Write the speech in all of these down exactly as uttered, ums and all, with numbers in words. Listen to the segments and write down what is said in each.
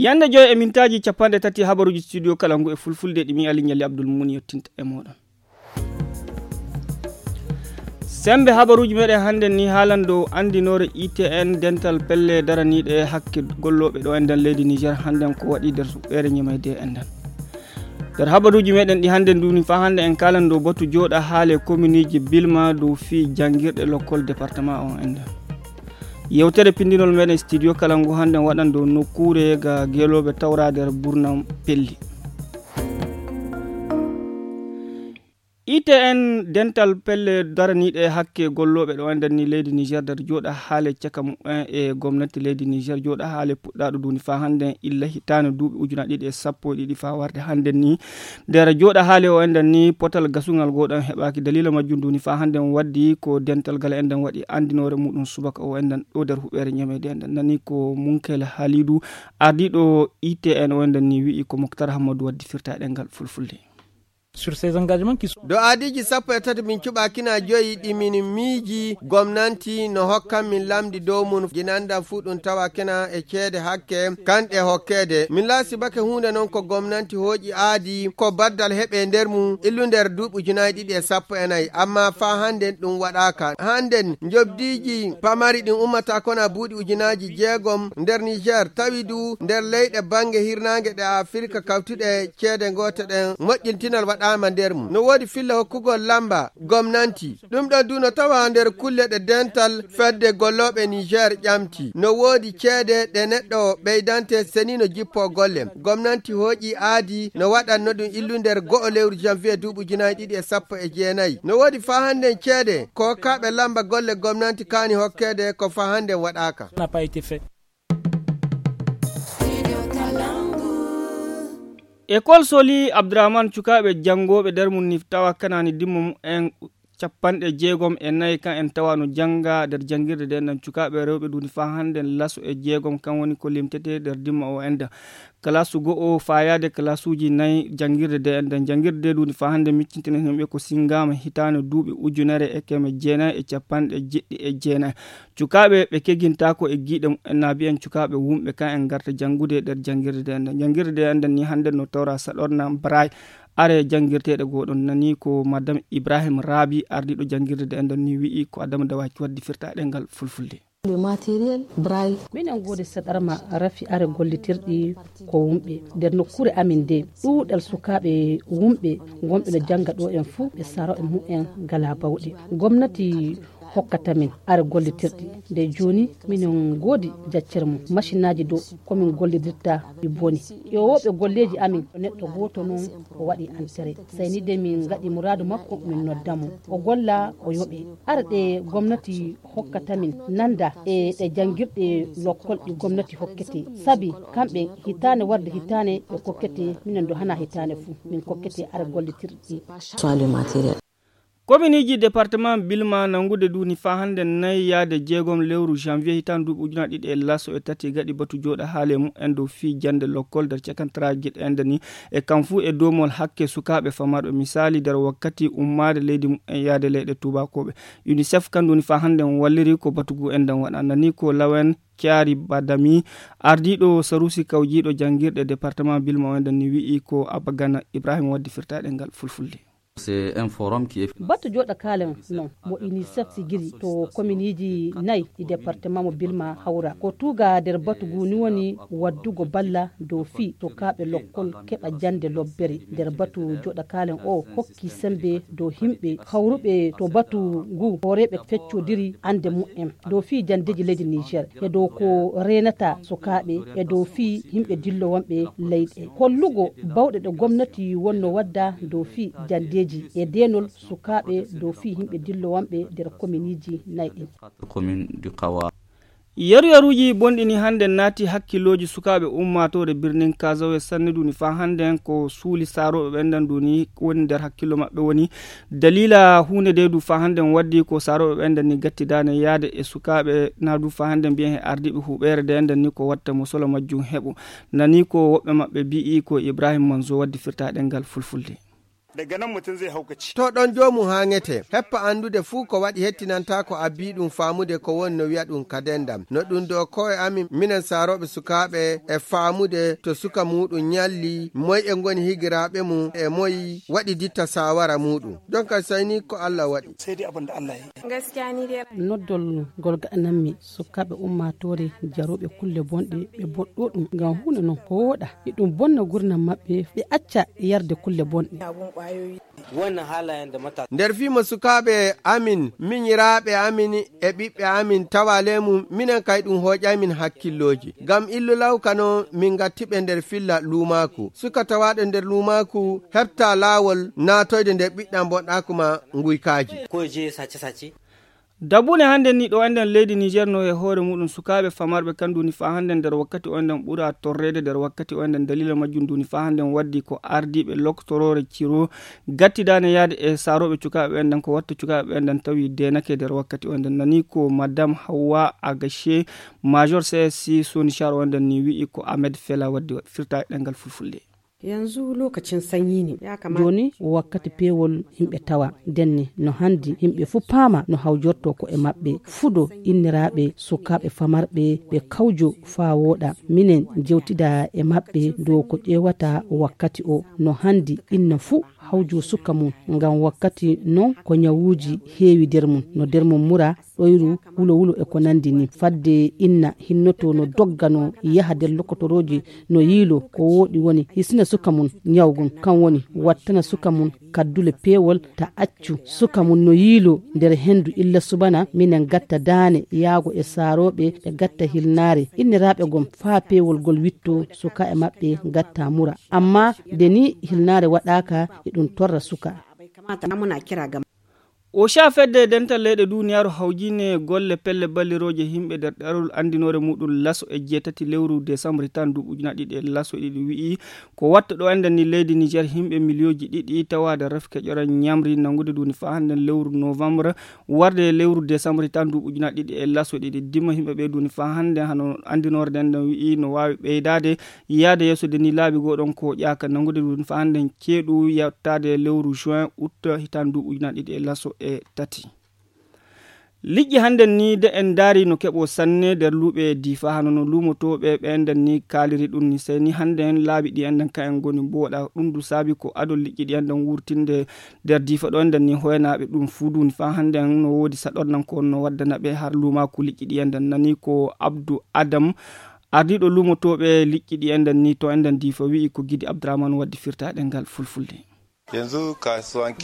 Yande joy e mintaaji capanɗe tati habaruuji studio kala ngu e fulfulde ɗi mi Ali Ñalli Abdul Muni yottinta e mooɗon. Sembe habaruuji meɗen hannde ni haalan dow anndinoore I T N dental pelle daraniiɗe hakke gollooɓe ɗo enɗan leydi Niger hannden ko waɗi nder suɓɓeere ñemayde enɗan. Nder habaruuji meɗen ɗi hannde nduni faa hannde en kaalan dow batu jooɗa haale kominiji Bilma dow fii janngirɗe lokkol département o enɗan. Yewtere pindinol meɗen studio kala ngu hannden waɗan dow nokkuure ga geelooɓe tawra nder burnam pelli. I T N dental pelle daraniiɗe hakke gollooɓe ɗo enɗan ni leydi Niger nder jooɗa haale caka mumen e gomnati leydi Niger jooɗa haale puɗɗaaɗo duni faa hannden illa hitaande duuɓi ujunaaji ɗiɗi e sappo e ɗiɗi faa warde hannden ni. Nder jooɗa haale o enɗan ni potal gasungal goo ɗan heɓaaki. Daliila majjum duni faa hannden waddi ko dental gal enɗan waɗi anndinoore muɗum subaka o enɗan ɗo nder huɓeere ñameede enɗan. Nani ko Munkel Halidu, ardiiɗo I T N o enɗan ni wi'i ko Moktar Hammadu waddi firtaaɗe ngal fulfulde. Sur ces engagements qui sont Dow aadiiji sappo e tati min cuɓaakina joyi ɗi min miiji gomnanti no hokkan min lamndi dow mum jinandan fuu ɗum tawaakina e ceede hakke kanɗe hokkeede. Min laasibake huunde noon ko gomnanti hooƴi aadi ko baddal heɓe nder mum illu nder duuɓi ujunaaji ɗiɗi e sappo e nayi, amma faa hannden ɗum waɗaaka. Hannden njobdiiji pamari ɗin ummata kona buuɗi ujunaaji jeegom nder Niger, tawi du nder leyɗe bannge hirnaange ɗe Afirka kawtuɗe ceede goote ɗen moƴƴintinal waɗaama nder mum. No woodi filla hokkugol lamba gomnanti. Ɗum ɗon du no tawa nder kulle ɗe dental fedde gollooɓe Niger ƴamti. No woodi ceede ɗe neɗɗo ɓeydante seni no jippoo golle. Gomnanti hooƴi aadi no waɗanno ɗum illu nder go'o lewru janvier duuɓi ujunaaji ɗiɗi e sappo e jeenayi. No woodi faa hannden ceede ko hokkaaɓe lamba golle gomnanti kaani hokkeede ko faa hannden waɗaaka. N'a pas été fait. École Soli Abdourahmane, cukaaɓe janngooɓe nder mum ni tawa kanaani dimmo mumen capanɗe jeegom e nayi kan en tawa no jannga nder janngirde nde enɗan. Cukaaɓe rewɓe duuni faa hannden laso e jeegom kan woni ko limtetee nder dimmo o enɗan. Kalaasu go'o faayaade kalaasuuji nayi janngirde nde enɗan. Janngirde nde duuni faa hannden miccintinen himɓe ko sinngaama hitaande duuɓi ujunere e keme jeenayi e capanɗe jeɗɗi e jeenayi. Cukaaɓe ɓe kegintaako e giiɗe mumen na mbiyen cukaaɓe wumɓe kan en ngarta janngude nder janngirde nde enɗan. Janngirde nde enɗan ni hannden no tawra saɗorna Braille are janngirteeɗe goo ɗon. Nani ko Madame Ibrahim Rabi, ardiiɗo janngirde nde enɗan ni wi'i ko Adama Dawaki waddi firtaaɗe ngal fulfulde. Le matériel Braille. Minen ngoodi saɗarma rafi are gollitirɗi ko wumɓe. Nder nokkuure amin nde, ɗuuɗal sukaaɓe wumɓe ngonɓe no jannga ɗo en fuu, ɓe sarooɓe mumen ngalaa bawɗe. Gomnati hokkata min are gollitirɗi. Nde jooni, minen ngoodi jaccere mum. Masinaaji dow ko min gollidirta ɗi boni. Ƴeewooɓe golleeji amin, ko neɗɗo gooto noon o waɗi entrée. Sey ni de min ngaɗi muraadu makko, min nodda mo. O golla, o yoɓee. Are ɗe gomnati hokkata min nanda e ɗe janngirɗe lokkol ɗi gomnati hokkete. Sabi kamɓe hitaane warde hitaane ɓe kokkete, minen do hana hitaane fuu min kokkete are gollitirɗi. Soit le matériel. Kominiiji departement Bilma nanngude duuni faa hannde nayi yaade jeegom lewru janvier hitaande duuɓi ujunaaji ɗiɗi e laso e tati gaɗi batu jooɗa haale mumen dow fii jannde lokkol nder cakantaraaji ɗe enɗan ni e kam fuu e doomol hakke sukaaɓe famarɓe. Misaali, nder wakkati ummaade leydi mumen yaade leyɗe tuubakooɓe. Unicef kan duuni faa hannde walliri ko batu ngu enɗan waɗa. Nani ko Lawen Kyari Badami, ardiiɗo saruusi kawjiiɗo janngirɗe departement Bilma o enɗan ni wi'i ko Abagana Ibrahim waddi firtaaɗe ngal fulfulde. C'est un forum qui est Batu jooɗa kaalen non mo unicef sigiri to kominiiji nayi ɗi departement mo Bilma hawra. Ko tuuga nder batu ngu ni woni waddugo balla dow fii sukaaɓe lokkol keɓa jannde lobbere. Nder batu jooɗa kaalen o hokki sembe dow himɓe hawruɓe to batu ngu hooreeɓe feccodiri annde mumen dow fii janndeeji leydi Niger e dow ko reenata sukaaɓe e dow fii yimɓe dillo wonɓe leyɗe. Hollugo bawɗe ɗe gomnati wonno wadda dow fii janndeeji e deenol sukaaɓe dow fii yimɓe dillo wonɓe nder kominiiji nayi ɗin. Commune du Kawa. Yaruyaruuji bonɗi ni hannde naati hakkillooji sukaaɓe ummaatoore birnin Kazawe sanne duuni faa hannde ko suuli saarooɓe ɓen ɗan duuni woni nder hakkillo maɓɓe woni daliila huunde de du faa hannde waddi ko saarooɓe ɓen ɗan ni gattidaane yaade e sukaaɓe na du faa hannde mbiyen e ardiiɓe huɓeere de ɗan ni ko watta mo solo majjum heɓu. Nani ko woɓɓe maɓɓe mbi'i ko Ibrahim Manzo waddi firtaaɗe ngal fulfulde. Daga nan mutum zai haukace. To ɗon joomum haaŋete, heppa anndude fuu ko waɗi hettinantaa ko abbii ɗum faamude ko woni no wi'a ɗum ka denndam. No ɗum dow ko'e amin, minen saarooɓe sukaaɓe, e faamude to suka muuɗum nyalli, moy e ngoni higiraaɓe mum, e moy waɗi ditta saawara muuɗum. Jonka sey ni ko Allah waɗi. Sai dai abin da Allah ya yi. Noddol ngol gaɗanammi sukaaɓe ummaatoore jarooɓe kulle bonɗe, ɓe boɗɗo ɗum ngam huunde non ko wooɗa. Iɗum bonna gurdam maɓɓe, ɓe acca yarde kulle bonɗe. Nder fii mo sukaaɓe amin, minyiraaɓe amin e ɓiɓɓe amin tawa leemum, minen kay ɗum hooƴaymin hakkillooji. Ngam illu lawka non min ngatti ɓe nder filla luumaaku. Suka tawaaɗo nder luumaaku heɓta laawol naatoyde nder ɓiɗɗam bonɗaaku ma nguykaaji. Dabune hannde ni ɗo enden leydi Niger no e hoore muɗum sukaaɓe famarɓe kan duni faa hannde nder wakkati o enden ɓura torreede nder wakkati o enden dalila majjum duni faa hannde waddi ko ardiiɓe loktoroore ciro gattidaane yaade e saarooɓe cukaaɓe enden ko watta cukaaɓe enden tawi deenake nder wakkati o enden nani ko madame Hawa Agache major C S C Sonichar o enden ni wi'i ko Ahmed Fela waddi firta ɗengal fulfulde. Yanzu lokacin sanyi ne. Ya kamata. Jooni wakkati peewol yimɓe tawa. Denne no handi yimɓe fuu paama no hawjorto ko e maɓɓe. Fudo inniraaɓe sukaaɓe famarɓe ɓe kawjo faa wooɗa. Minen jewtida e maɓɓe dow ko ƴeewata wakkati o. No handi inna fuu hawjo suka mum. Ngam wakkati non ko nyawuuji heewi der mum. No der mum mura ɗoyru, wulo-wulo e ko nandi ni. Fadde inna hinnoto no dogga no yaha nder lokotorooji no yiilo ko wooɗi woni hisina suka mum nyawgun. Kan woni wattana suka mum kaddule peewol ta accu suka mum no yiilo nder hendu illa subana minen gatta daane yaago e saarooɓe ɓe gatta hilnaare. Inniraaɓe gom faa peewol gol witto suka e maɓɓe gatta mura. Amma nde ni hilnaare waɗaaka e ɗum torra suka. Bai kamata na muna kira ga Osha fedde dental leyɗe duniyaaru hawjine golle pelle ballirooje yimɓe nder ɗerol anndinoore muɗum laso e jeetati lewru desambri tan duuɓi ujunaaji ɗiɗi e laso e ɗiɗi wi'i ko watta ɗo enɗen ni leydi Niger yimɓe miliyonji ɗiɗi tawaade refke ƴoran ñamri nanngude duni faa hannden lewru novembre warde lewru desambri tan duuɓi ujunaaji ɗiɗi e laso e ɗiɗi dima yimɓe ɓe duni faa hannden hano anndinoore nden ɗon wi'i no waawi ɓeydaade yaade yeeso de ni laabi goo ɗon ko ƴaaka nanngude ɗum fa hannden ceeɗu yettaade lewru juin août hitaan duuɓi ujunaaji ɗiɗi e laso e tati. Liƴƴi hannden ni de en ndaari no keɓo sanne nder luuɓe diifa hano no luumotooɓe ɓe enden ni kaaliri ɗum ni sey ni hannden laabi ɗi enden ka en ngoni mbooɗa ɗum du saabi ko adol liƴƴi ɗi enden wurtinde nder diifa ɗo enden ni hoynaaɓe ɗum fuu duni fa hannden no woodi saɗornan ko no waddana ɓe har luumaaku liƴƴi ɗi enden nani ko abdu adam Ardiiɗo luumotooɓe liƴƴi ɗi enɗen nii to enɗen diifa wi'i ko Gidi Abdurahman waddi firtaaɗe ngal fulfulde.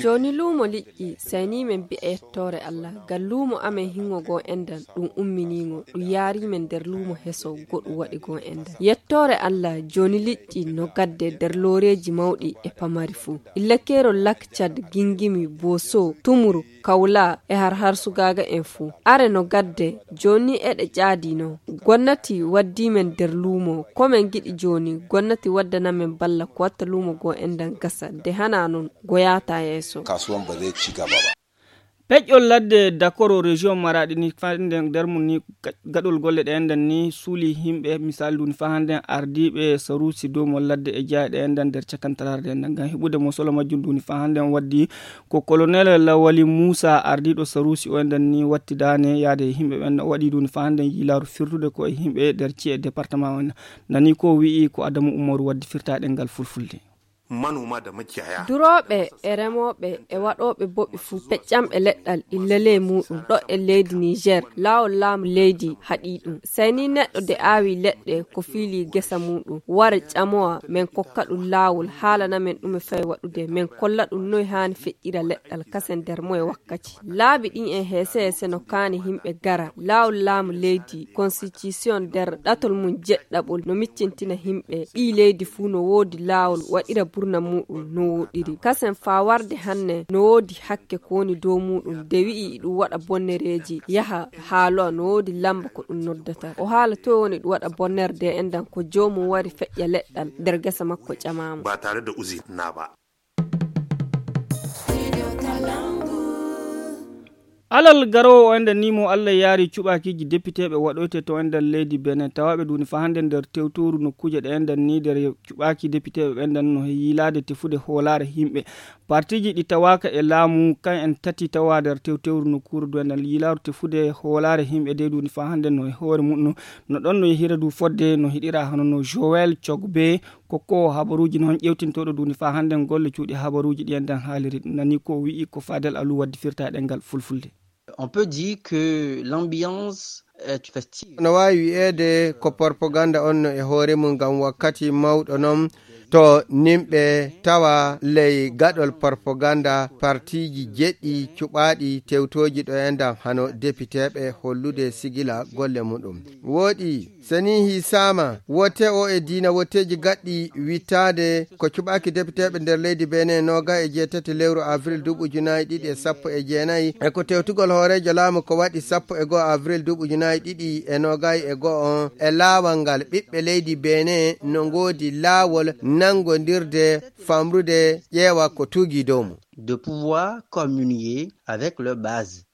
Jooni luumo liƴƴi saynii men bi'a yettoore Allah ngam luumo amen hingo goo enɗen ɗum umminii ngo ɗum yaarii men nder luumo heso goɗɗum waɗi goo enɗen. Yettoore Allah jooni liƴƴi no gadde nder looreeji mawɗi e pamari fuu. Illa keerol Lak Cad, Gingimi, Booso, Tumuru, Kawla e har har sugaaga en fuu. Are no gadde, jooni ni eɗe ƴaadi no. Gonnati waddii men nder luumo. Ko men ngiɗi jooni, gonnati waddana men balla ko watta luumo goo enɗan gasa. De hanaa non, go yaataa yeeso. Kasuwan ba zai ci gaba ba. Peƴƴol ladde Dakoro région Maraɗi ni fande nder mum ni gaɗol golle ɗe enɗan ni suuli yimɓe misal duni fa hannden ardiiɓe saruusi dow mo ladde e jeyaaɗe enɗan nder cakantararde enɗan ngam heɓude mo solo majjum duni fa hannden waddi Ko Kolonel Lawali Muusa, ardiiɗo Saruusi o enɗan ni wattidaane yaade e yimɓe ɓen o waɗi ɗum faa hannden yiilaaru firtude ko e yimɓe nder ci'e departama o enɗan. Nani ko wi'i ko Adamu Umaru waddi firtaaɗe ngal fulfulde. Manoma da makiyaya. Durooɓe e remooɓe e waɗooɓe boɓi fuu peƴƴamɓe leɗɗal illa ley muuɗum ɗo e leydi Niger laawol laamu leydi haɗii ɗum. Sey ni neɗɗo de aawi leɗɗe ko fiilii gesa muuɗum wara ƴamowa men kokka ɗum laawol haalana men ɗume fay waɗude men kolla ɗum noy haani feƴƴira leɗɗal kasen nder moye wakkati. Laabi ɗin e heese heese no kaani yimɓe gara laawol laamu leydi konstitisiyon nder ɗatol mum jeɗɗaɓol no miccintina yimɓe ɓii leydi fuu no woodi laawol waɗira burna muuɗum no wooɗiri kasen faa warde hanne no woodi hakke ko woni dow muuɗum de wi'i iɗum waɗa bonnereeji yaha haalowa no woodi lamba ko ɗum noddata o haala toy woni ɗum waɗa bonnere de enɗan ko joomum wari feƴƴa leɗɗal nder gesa makko ƴamaamo. Ba tare da uzina ba. Alal garoowo o enɗan ni mo Allah yaari cuɓaakiiji depiteeɓe waɗoyte to enɗan leydi Benin tawaaɓe duuni faa hannde nder tewtooru nokkuuje ɗe enɗan ni nder cuɓaaki depiteeɓe ɓe enɗan no yiilaade tefude hoolaare yimɓe Partiiji ɗi tawaaka e laamu, kan en tati tawa nder tewtewru nokkuure duwendal yilaaru tefude hoolaare yimɓe dey duuni faa hannde no e hoore muɗum, no ɗon no yehira du fodde no hiɗira hano no Joël Cogbe, ko ko habaruuji noon ƴewtintooɗo duuni faa hannde golle cuuɗi habaruuji ɗi en dan haaliri. Ɗum nani ko wi'i ko Fadel Alou waddi firta e ɗemngal fulfulde. On peut dire que l'ambiance est festive. No waawi wi'eede ko propaganda on no e hoore mum, ngam wakkati mawɗo noon to nimɓe tawa ley gaɗol propaganda partiiji jeɗɗi cuɓaaɗi tewtooji ɗo e ndam hano depiteeɓe hollude sigila golle muɗum. Wooɗi, so nii hiisaama, wote o e diina woteeji gaɗɗi wittaade ko cuɓaaki depiteeɓe nder leydi Benin noogay e jeetati lewru avril duuɓi ujunaaji ɗiɗi e sappo e jeenayi, e ko tewtugol hooreejo laamu ko waɗi sappo e go'o avril duuɓi ujunaaji ɗiɗi e noogay e go'o on, e laawol ngal ɓiɓɓe leydi Benin no ngoodi laawol nanngondirde, famrude, ƴeewa ko tuugii dow mum. De pouvoir communier avec leur base.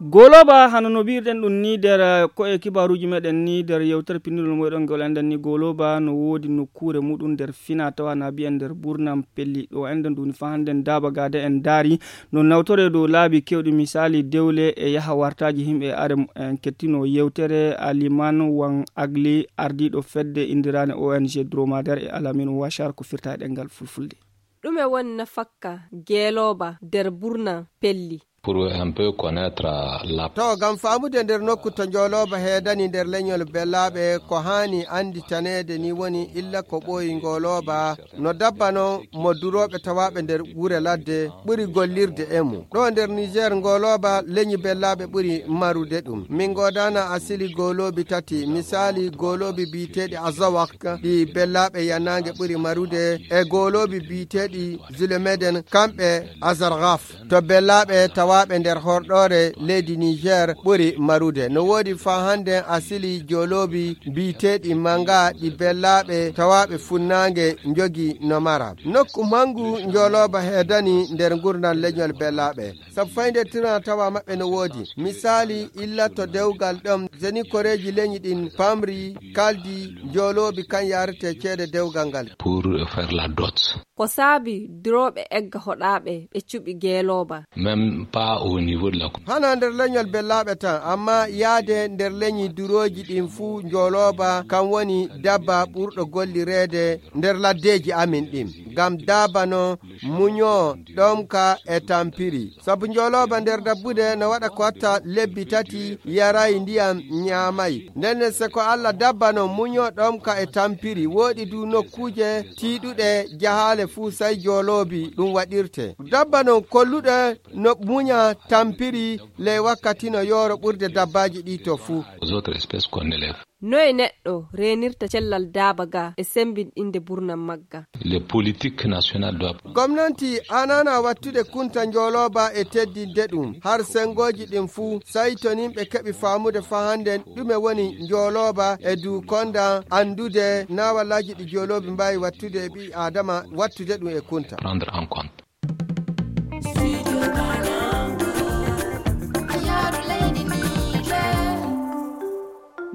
Goloba, hano no mbiirɗen ɗum ni nder, eh, ko e kibaaruuji meɗen ni nder yewtere pinndinol moyɗon ngol enɗen ni, Goloba no woodi nokkuure muɗum nder fina tawa na mbiyen nder Burnam Pelli. Ɗo enɗen ɗum ni faa hannde daaba gaade en daari no nawtore dow laabi kewɗi, misaali dewle e yaha wartaaji yimɓe. Are en kettino yewtere Aliman Wan Agli, ardiiɗo fedde inndiraane O N G Dromadaire e Alamin Washar ko firta e ɗemngal fulfulde. Ɗume woni nafakka Geelooba nder Burnam Pelli? Pour un peu connaître la... To, ngam faamude nder nokku to Njoolooba heedani nder leñol Bellaaɓe, ko haani annditaneede ni woni illa ko ɓooyi Ngoolooba, no dabba noon mo durooɓe tawaaɓe nder gure ladde ɓuri gollirde e mum. Ɗo nder Niger, Ngoolooba leñi Bellaaɓe ɓuri marude ɗum. Min ngoodana asili gooloobi tati, misaali gooloobi biyeteeɗi Azawak, ɗi Bellaaɓe Yanaange ɓuri marude, e gooloobi biyeteeɗi Zulemeden, kamɓe Azargaf. To Bellaaɓe tawaaɓe nder horɗoore leydi Niger ɓuri marude. No woodi faa hannde asili jooloobi biyeteeɗi Manga ɗi Bellaaɓe tawaaɓe funnaange njogi no mara. Nokku manngu Njoolooba heedani nder ngurndan leñol Bellaaɓe. Sabu fayde tirna tawa maɓɓe no woodi. Misaali, illa to dewgal ɗon, zeni koreeji leñi ɗin pamri, kaldi, jooloobi kan yaarete ceede dewgal ngal. Pour faire la dot. Ko saabi durooɓe egga hoɗaaɓe ɓe cuɓi Geelooba? Même pas au niveau de la commune. Hana nder leñol Bellaaɓe tan, amma yaade nder leñi durooji ɗin fuu Njoolooba, kan woni dabba ɓurɗo gollireede nder laddeeji amin ɗin. Ngam daabano, muño, ɗomka e tampiri. Sabu Njoolooba nder dabbude no waɗa ko watta lebbi tati, yaray ndiyam, ñaamay. Nden se ko Alla dabba non muño ɗomka e tampiri, wooɗi du nokkuuje tiiɗuɗe jahaale fuu sey jooloobi ɗum waɗirte. Dabba non kolluɗe no muña tampiri ley wakkati no yooro ɓurde dabbaaji ɗi to fuu. Aux autres espèces qu'on élève. Noye neɗɗo reenirta cellal daaba ga e semmbinɗinde burnam magga? Les politiques nationales doivent... Gomnanti anana wattude kunta njoolooba e teddinde ɗum, har senngooji ɗin fuu, sey to nin ɓe keɓi faamude faa hannden ɗume woni njoolooba e duu konda anndude naawalaaji ɗi jooloobi mbaawi wattude e ɓii Aadama, wattude ɗum e kunta. Prendre en compte.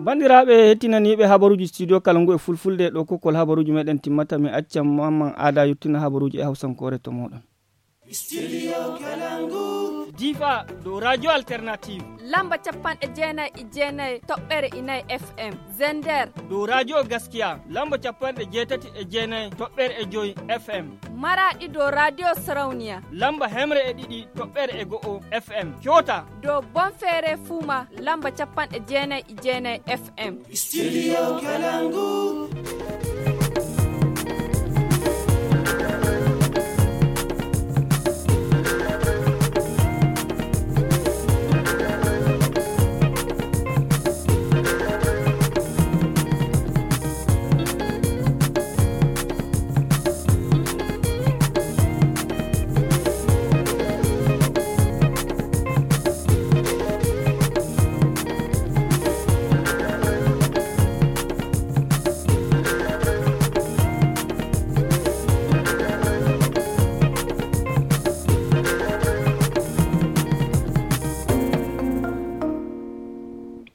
Banndiraaɓe hettinaniiɓe habaruuji studio kala ngu e fulfulde, ɗo kokkol habaruuji meɗen timmata. Mi acca Mamman Aada yottina habaruuji e hawsankoore to mooɗon. Studio Kalangu. Difa, dow Radio Alternative. Lamba capanɗe jeenayi e jeenayi toɓɓere e nayi F M. Zender. Dow Radio Gaskiya, lamba capanɗe jeetati e jeenayi toɓɓere e joy F M. Maraɗi dow Radio Sarauniya. Lamba hemre e ɗiɗi toɓɓere e go'o F M. Coota. Dow Bonfere Fuma, lamba capanɗe jeenayi e jeenayi F M. Studio Kalangu.